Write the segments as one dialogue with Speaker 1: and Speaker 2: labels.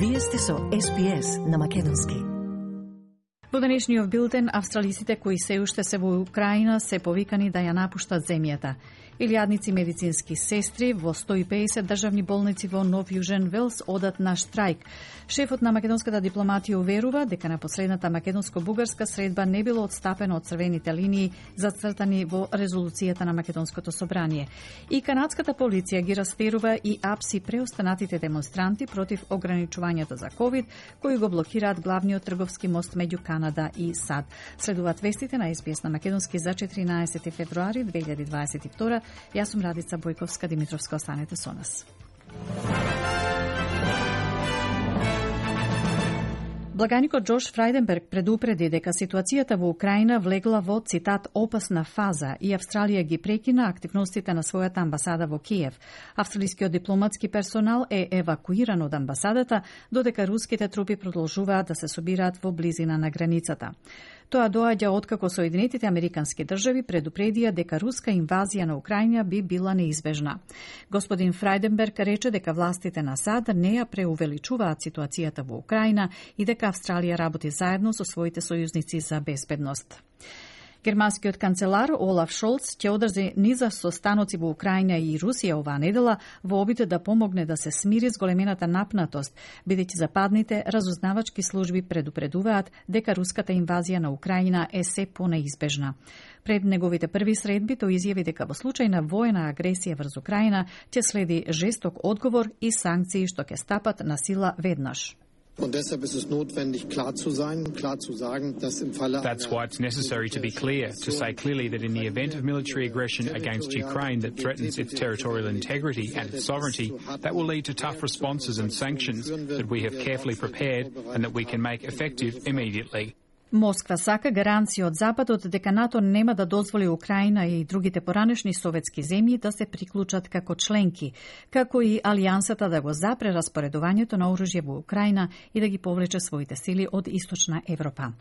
Speaker 1: Вие сте со SPS на македонски.
Speaker 2: Во денешниот билтен, австралиците кои се уште се во Украина се повикани да ја напуштат земјата. Илјадници медицински сестри во 150 државни болници во Нов Јужен Велс одат на штрајк. Шефот на македонската дипломатија уверува дека на последната македонско-бугарска средба не било отстапено од црвените линии зацртани во резолуцијата на Македонското собрание. И канадската полиција ги растерува и апси преостанатите демонстранти против ограничувањето за ковид, кои го блокираат главниот трговски мост меѓу Канада и САД. Следуваат вестите на SBS на македонски за 14 февруари 2022. Јас сум Радица Бојковска Димитровска, останете со нас. Благаникот Джош Фрајденберг предупреди дека ситуацијата во Украина влегла во, цитат, опасна фаза и Австралија ги прекина активностите на својата амбасада во Киев. Австралискиот дипломатски персонал е евакуиран од амбасадата, додека руските трупи продолжуваат да се собираат во близина на границата. Тоа доаѓа откако Соединетите Американски држави предупредија дека руска инвазија на Украина би била неизбежна. Господин Фрајденберг рече дека властите на САД не ја преувеличуваат ситуацијата во Украина и дека Австралија работи заедно со своите сојузници за безбедност. Германскиот канцелар Олаф Шолц ќе одржи низа состаноци во Украина и Русија оваа недела во обид да помогне да се смири зголемената напнатост, бидејќи западните разузнавачки служби предупредуваат дека руската инвазија на Украина е се понеизбежна. Пред неговите први средби тој изјави дека во случај на воена агресија врз Украина ќе следи жесток одговор и санкции што ќе стапат на сила веднаш.
Speaker 3: Und deshalb ist es notwendig, klar zu sein, klar zu sagen, dass im Falle
Speaker 4: That's why it's necessary to be clear, to say clearly that in the event of military aggression against Ukraine that threatens its territorial integrity and its sovereignty, that will lead to tough responses and sanctions that we have carefully prepared and that we can make effective immediately.
Speaker 2: Москва сака гаранција од Западот дека НАТО нема да дозволи Украина и другите поранешни советски земји да се приклучат како членки, како и алијансата да го запре распоредувањето на оружје во Украина и да ги повлече своите сили од Источна Европа.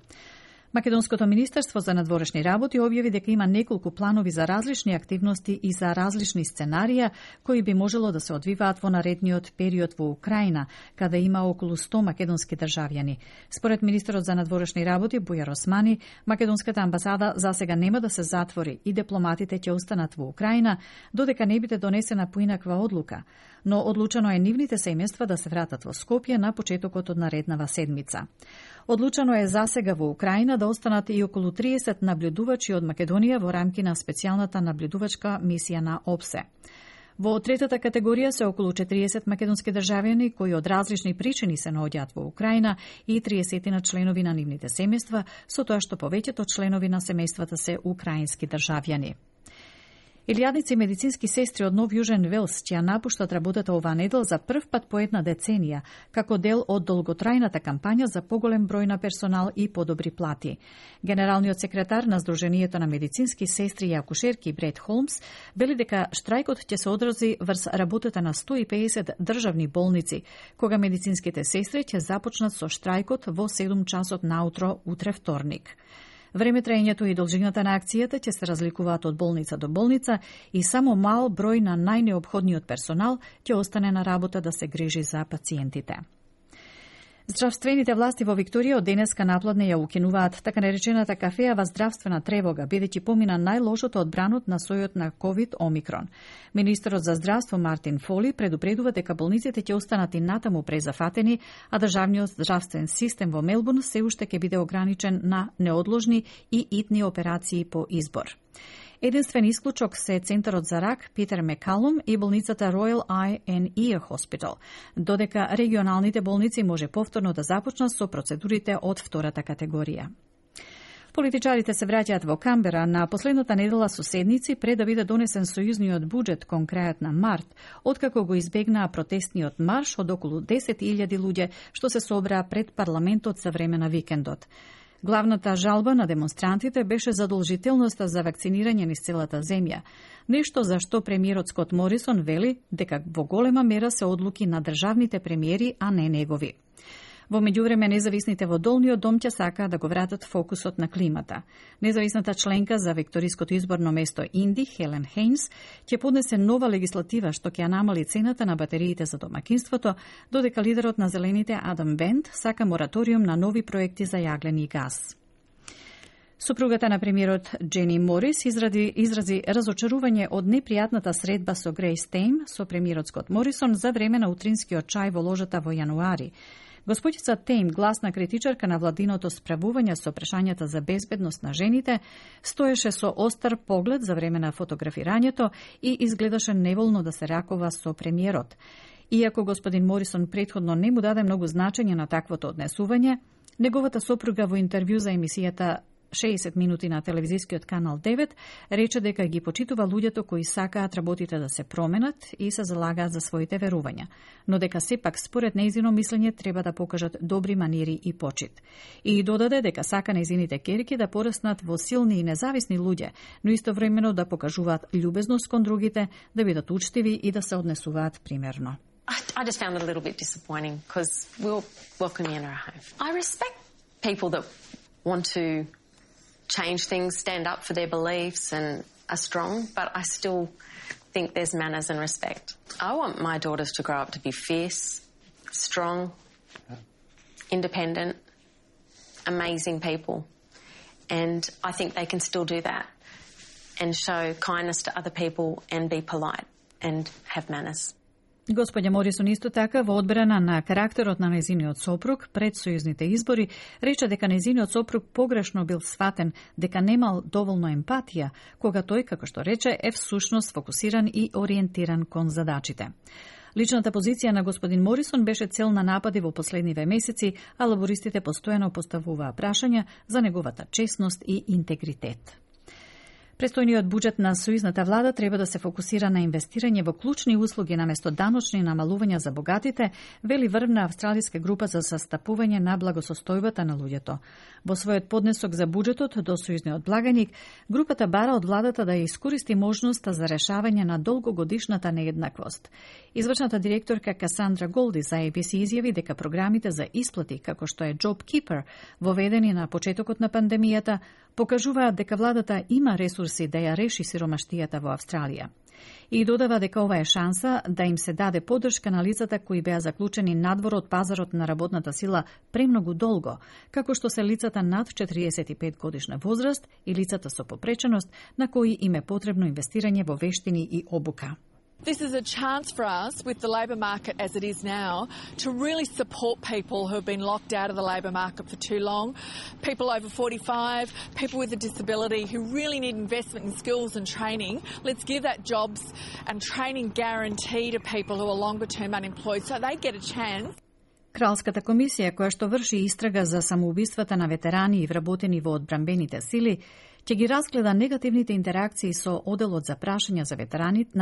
Speaker 2: Македонското министерство за надворешни работи објави дека има неколку планови за различни активности и за различни сценарија кои би можело да се одвиваат во наредниот период во Украина, каде има околу 100 македонски државјани. Според министерот за надворешни работи Бујар Османи, македонската амбасада засега нема да се затвори и дипломатите ќе останат во Украина додека не биде донесена поинаква одлука, но одлучено е нивните семејства да се вратат во Скопје на почетокот од нареднава седмица. Одлучено е засега во Украина да останат и околу 30 наблюдувачи од Македонија во рамки на специјалната наблюдувачка мисија на ОБСЕ. Во третата категорија се околу 40 македонски државјани кои од различни причини се наоѓаат во Украина и 30 на членови на нивните семејства, со тоа што повеќето членови на семејствата се украински државјани. Илјадници медицински сестри од Нов Јужен Велс ќе ја напуштат работата оваа недел за прв пат по една деценија, како дел од долготрајната кампања за поголем број на персонал и подобри плати. Генералниот секретар на Сдруженијето на медицински сестри и акушерки Бред Холмс вели дека штрајкот ќе се одрази врз работата на 150 државни болници, кога медицинските сестри ќе започнат со штрајкот во 7 часот наутро утре вторник. Време траењето и должината на акцијата ќе се разликуваат од болница до болница и само мал број на најнеопходниот персонал ќе остане на работа да се грижи за пациентите. Здравствените власти во Викторија од денеска напладне ја укинуваат така наречената кафеава здравствена тревога, бидејќи помина најлошото од бранот на сојот на COVID Омикрон. Министерот за здравство Мартин Фоли предупредува дека болниците ќе останат и натаму презафатени, а државниот здравствен систем во Мелбурн се уште ќе биде ограничен на неодложни и итни операции по избор. Единствен исклучок се Центарот за рак Питер Мекалум и болницата Royal Eye and Ear Hospital, додека регионалните болници може повторно да започнат со процедурите од втората категорија. Политичарите се враќаат во Камбера на последната недела со седници пред да биде донесен сојузниот буџет кон крајот на март, откако го избегнаа протестниот марш од околу 10.000 луѓе што се собраа пред парламентот за време на викендот. Главната жалба на демонстрантите беше задолжителноста за вакцинирање низ целата земја, нешто за што премиерот Скот Морисон вели дека во голема мера се одлуки на државните премиери, а не негови. Во меѓувреме, независните во Долниот дом ќе сакаат да го вратат фокусот на климата. Независната членка за викториското изборно место Инди, Хелен Хейнс, ќе поднесе нова легислатива што ќе намали цената на батериите за домакинството, додека лидерот на Зелените Адам Бент сака мораториум на нови проекти за јаглени газ. Супругата на премиерот Джени Морис изрази разочарување од непријатната средба со Грейс Тейм, со премиерот Скот Морисон, за време на утринскиот чај во ложата во јануари. Господица Тейм, гласна критичарка на владиното справување со прашањата за безбедност на жените, стоеше со остар поглед за време на фотографирањето и изгледаше неволно да се ракува со премиерот. Иако господин Морисон претходно не му даде многу значење на таквото однесување, неговата сопруга во интервју за емисијата 60 минути на телевизискиот канал 9 рече дека ги почитува луѓето кои сакаат работите да се променат и се залагаат за своите верувања, но дека сепак според нејзино мислење треба да покажат добри манири и почит. И додаде дека сака нејзините ќерки да пораснат во силни и независни луѓе, но истовремено да покажуваат љубезност кон другите, да бидат учтиви и да се однесуваат примерно.
Speaker 5: I just found it a little bit disappointing because we'll welcome you in our home. I respect people that want to change things, stand up for their beliefs and are strong, but I still think there's manners and respect. I want my daughters to grow up to be fierce, strong, independent, amazing people. And I think they can still do that and show kindness to other people and be polite and have manners.
Speaker 2: Господја Морисон исто така во одбрана на карактерот на нејзиниот сопруг пред сојузните избори рече дека нејзиниот сопруг погрешно бил сватен, дека немал доволно емпатија, кога тој, како што рече, е всушност фокусиран и ориентиран кон задачите. Личната позиција на господин Морисон беше цел на напади во последниве месеци, а лабористите постојано поставуваа прашања за неговата честност и интегритет. Престојниот буџет на сојузната влада треба да се фокусира на инвестирање во клучни услуги наместо даночни намалувања за богатите, вели врвна австралиска група за састапување на благосостојбата на луѓето. Во својот поднесок за буџетот до сојузниот благаник, групата бара од владата да ја искористи можноста за решавање на долгогодишната нееднаквост. Извршната директорка Касандра Голди за ABC изјави дека програмите за исплати, како што е JobKeeper, воведени на почетокот на пандемијата, покажуваат дека владата има ресурси да ја реши сиромаштијата во Австралија. И додава дека ова е шанса да им се даде поддршка на лицата кои беа заклучени надвор од пазарот на работната сила премногу долго, како што се лицата над 45 годишна возраст и лицата со попреченост на кои им е потребно инвестирање во вештини и обука.
Speaker 6: This is a chance for us, with the labour market as it is now, to really support people who have been locked out of the labour market for too long, people over 45, people with a disability who really need investment in skills and training. Let's give that jobs and training guarantee to people who are longer term unemployed so they get a chance.
Speaker 2: Кралската комисија, која што врши истрага за самоубиствата на ветерани и вработени во одбранбените сили, ќе ги разгледа негативните интеракции со оделот за прашања за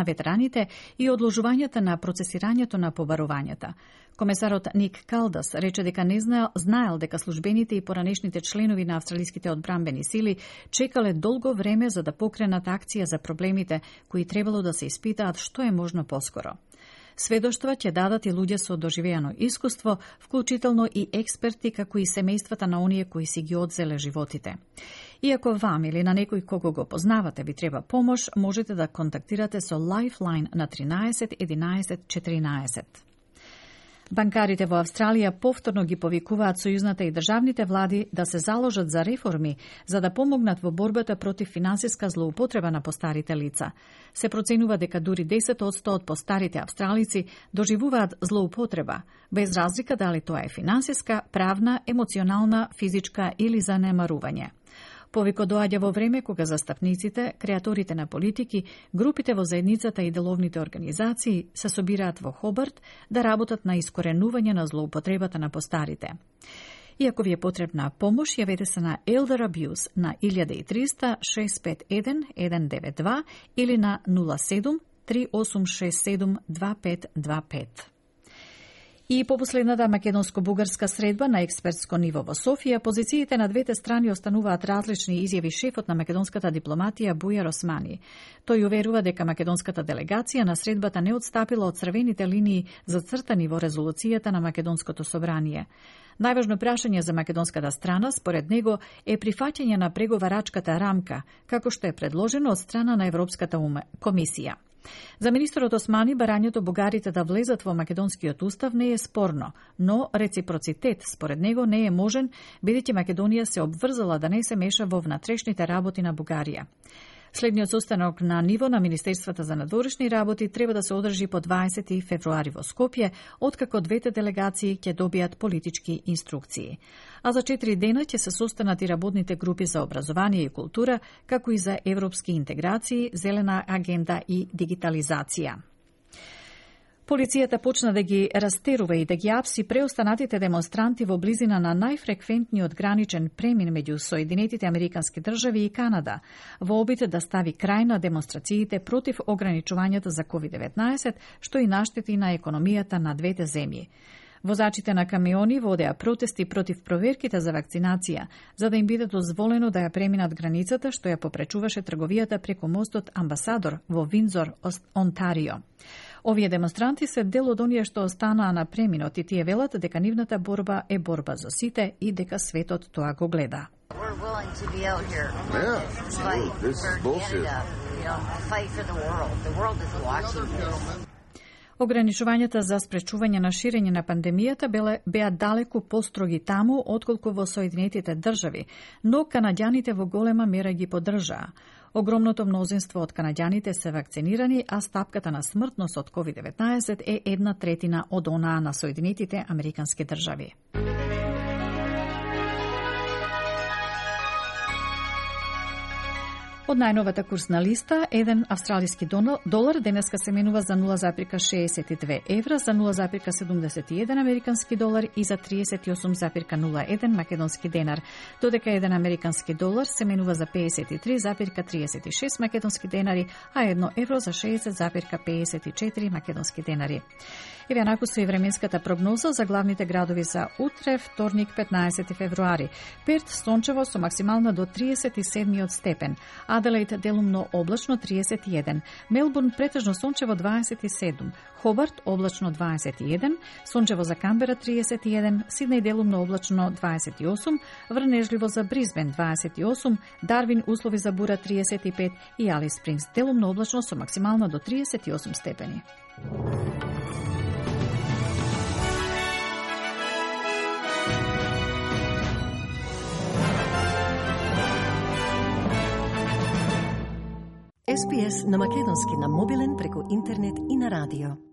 Speaker 2: ветераните и одложувањата на процесирањето на побарувањата. Комесарот Ник Калдас рече дека не знаел дека службените и поранешните членови на австралиските одбранбени сили чекале долго време за да покренат акција за проблемите кои требало да се испитаат што е можно поскоро. Сведоштва ќе дадат и луѓе со доживеано искуство, вклучително и експерти, како и семејствата на оние кои си ги одзеле животите. Иако вам или на некој кого го познавате ви треба помош, можете да контактирате со Lifeline на 13 11 14. Банкарите во Австралија повторно ги повикуваат сојузната и државните влади да се заложат за реформи, за да помогнат во борбата против финансиска злоупотреба на постарите лица. Се проценува дека дури 10% од постарите австралици доживуваат злоупотреба, без разлика дали тоа е финансиска, правна, емоционална, физичка или занемарување. Повикот доаѓа во време кога застапниците, креаторите на политики, групите во заедницата и деловните организации се собираат во Хобарт да работат на искоренување на злоупотребата на постарите. Иако ви е потребна помош, јавете се на Elder Abuse на 1300 651 192 или на 07 3867 2525. И по последната македонско-бугарска средба на експертско ниво во Софија, позициите на двете страни остануваат различни, изјави шефот на македонската дипломатија Бујар Османи. Тој уверува дека македонската делегација на средбата не отстапила од црвените линии зацртани во резолуцијата на Македонското собрание. Најважно прашање за македонската страна, според него, е прифаќање на преговарачката рамка, како што е предложено од страна на Европската комисија. За министерот Османи, барањето бугарите да влезат во македонскиот устав не е спорно, но реципроцитет според него не е можен, бидејќи Македонија се обврзала да не се меша во внатрешните работи на Бугарија. Следниот состанок на ниво на Министерствата за надворешни работи треба да се одржи по 20 февруари во Скопје, откако двете делегации ќе добијат политички инструкции. А за 4 дена ќе се состанат и работните групи за образование и култура, како и за европски интеграции, зелена агенда и дигитализација. Полицијата почна да ги растерува и да ги апси преостанатите демонстранти во близина на најфреквентниот граничен премин меѓу Соединетите Американски држави и Канада, во обид да стави крај на демонстрациите против ограничувањата за COVID-19, што и наштети на економијата на двете земји. Возачите на камиони водеа протести против проверките за вакцинација, за да им биде дозволено да ја преминат границата, што ја попречуваше трговијата преку мостот Амбасадор во Виндзор, Онтарио. Овие демонстранти се дел од оние што останаа на преминот и тие велат дека нивната борба е борба за сите и дека светот тоа го гледа. Ограничувањата за спречување на ширење на пандемијата беа далеку построги таму отколку во Соединетите држави, но канаѓаните во голема мера ги поддржаа. Огромното мнозинство од канаѓаните се вакцинирани, а стапката на смртност од COVID-19 е 1/3 од онаа на Соединетите Американски држави. Од најновата курсна листа, еден австралиски долар денеска се менува за 0,62 евра, за 0,71 американски долар и за 38,01 македонски денар, додека еден американски долар се менува за 53,36 македонски денари, а 1 евро за 60,54 македонски денари. Еве накусто и временската прогноза за главните градови за утре, вторник, 15 февруари. Перт сончево со максимална до 37 степен, Аделаид делумно облачно 31, Мелбурн претежно сончево 27, Хобарт облачно 21, сончево за Камбера 31, Сиднеј делумно облачно 28, врнежливо за Бризбен 28, Дарвин услови за бура 35 и Алис Спрингс делумно облачно со максимална до 38 степени.
Speaker 1: SPS на македонски на мобилен преку интернет и на радио.